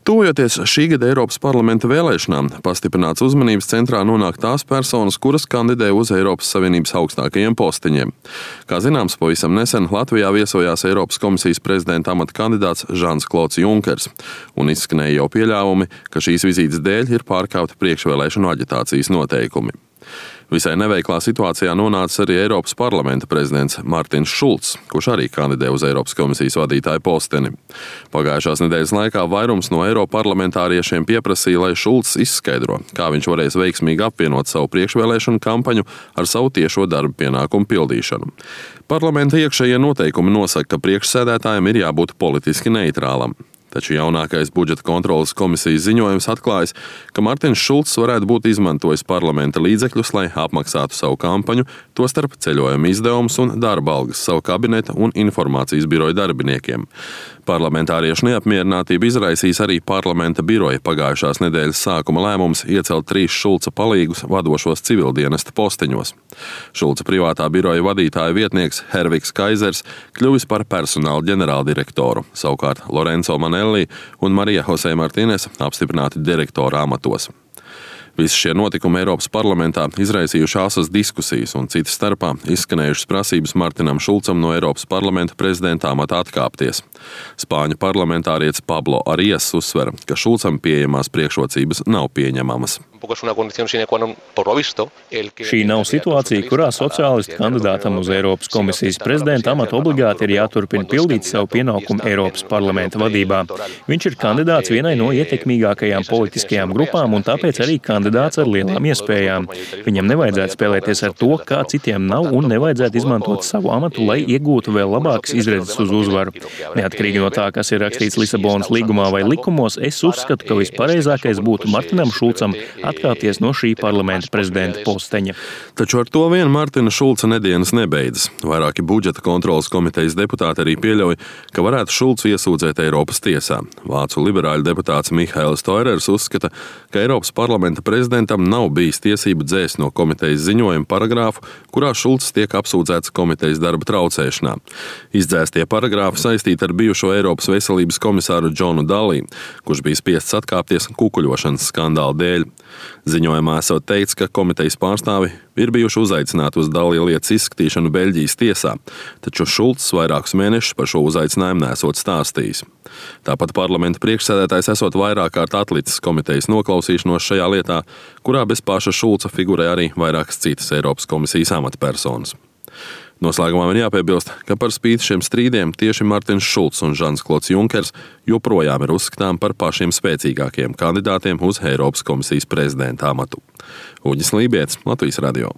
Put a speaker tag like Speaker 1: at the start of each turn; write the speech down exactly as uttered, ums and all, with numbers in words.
Speaker 1: Tuvojoties šī gada Eiropas parlamenta vēlēšanām, pastiprināts uzmanības centrā nonāk tās personas, kuras kandidē uz Eiropas Savienības augstākajiem posteņiem. Kā zināms, pavisam nesen Latvijā viesojās Eiropas komisijas prezidenta amata kandidāts Žans Klods Junkers, un izskanēja jau pieļāvumi, ka šīs vizītes dēļ ir pārkāpti priekšvēlēšanu aģitācijas noteikumi. Visai neveiklā situācijā nonāca arī Eiropas parlamenta prezidents Martins Šulcs, kurš arī kandidē uz Eiropas komisijas vadītāja posteni. Pagājušās nedēļas laikā vairums no eiroparlamentāriešiem pieprasīja, lai Šulcs izskaidro, kā viņš varēs veiksmīgi apvienot savu priekšvēlēšanu kampaņu ar savu tiešo darba pienākumu pildīšanu. Parlamenta iekšējie noteikumi nosaka, ka priekšsēdētājam ir jābūt politiski neitrālam. Taču jaunākais budžeta kontroles komisijas ziņojums atklājas, ka Martins Šulcs varētu būt izmantojis parlamenta līdzekļus, lai apmaksātu savu kampaņu, tostarp ceļojuma izdevumus un darba algas savu kabineta un informācijas biroja darbiniekiem. Parlamentāriešu neapmierinātību izraisīs arī parlamenta biroja pagājušās nedēļas sākuma lēmums iecelt trīs Šulca palīgus vadošos civildienesta posteņos. Šulca privātā biroja vadītāja vietnieks Hervigs Kaizers kļuvis par personāla ģenerāldirektoru, savukārt Lorenzo Manelli un Marija Jose Martines apstiprināti direktora amatos. Visi šie notikumi Eiropas parlamentā izraisījuši asas diskusijas un citas starpā izskanējušas prasības Martinam Šulcam no Eiropas parlamenta prezidenta amata atkāpties. Spāņu parlamentārietis Pablo Arias uzsver, ka Šulcam pieejamās priekšrocības nav pieņemamas.
Speaker 2: Šī nav situācija, kurā sociālistu kandidātam uz Eiropas komisijas prezidenta amatu obligāti ir jāturpina pildīt savu pienākumu Eiropas parlamenta vadībā. Viņš ir kandidāts vienai no ietekmīgākajām politiskajām grupām un tāpēc arī kandidāts ar lielām iespējām. Viņam nevajadzētu spēlēties ar to, kā citiem nav, un nevajadzētu izmantot savu amatu, lai iegūtu vēl labākas izredzes uz uzvaru. Neatkarīgi no tā, kas ir rakstīts Lisabonas līgumā vai likumos, es uzskatu, ka vispareizākais būtu Martinam Šulcam atkāpties no šī parlamenta prezidenta posteņa.
Speaker 1: Taču ar to vien Martina Šulca nedienas nebeidzas. Vairāki budžeta kontroles komitejas deputāti arī pieļauj, ka varētu Šulcu iesūdzēt Eiropas tiesā. Vācu liberāļu deputāts Mihails Toirers uzskata, ka Eiropas parlamenta prezidentam nav bijis tiesību dzēst no komitejas ziņojuma paragrāfu, kurā Šulcs tiek apsūdzēts komitejas darba traucēšanā. Izdzēstie paragrāfi saistīti ar bijušo Eiropas veselības komisāru Džonu Dalī, kurš bija spiests atkāpties kukuļošanas skandāla dēļ. Ziņojumā esot teikts, ka komitejas pārstāvi ir bijuši uzaicināti uz Dalī lietas izskatīšanu Beļģijas tiesā, taču Šulcs vairākus mēnešus par šo uzaicinājumu nesot stāstījis. Tāpat parlamenta priekšsēdētājs esot vairāk kārt atlicis komitejas noklausīšanos šajā lietā, kurā bez paša Šulca figurē arī vairākas citas Eiropas komisijas amatpersonas. Noslēgumā man jāpiebilst, ka par spīti šiem strīdiem tieši Martins Šulcs un Žans Klods Junkers joprojām ir uzskatām par pašiem spēcīgākajiem kandidātiem uz Eiropas komisijas prezidenta amatu. Uģis Lībietis, Latvijas radio.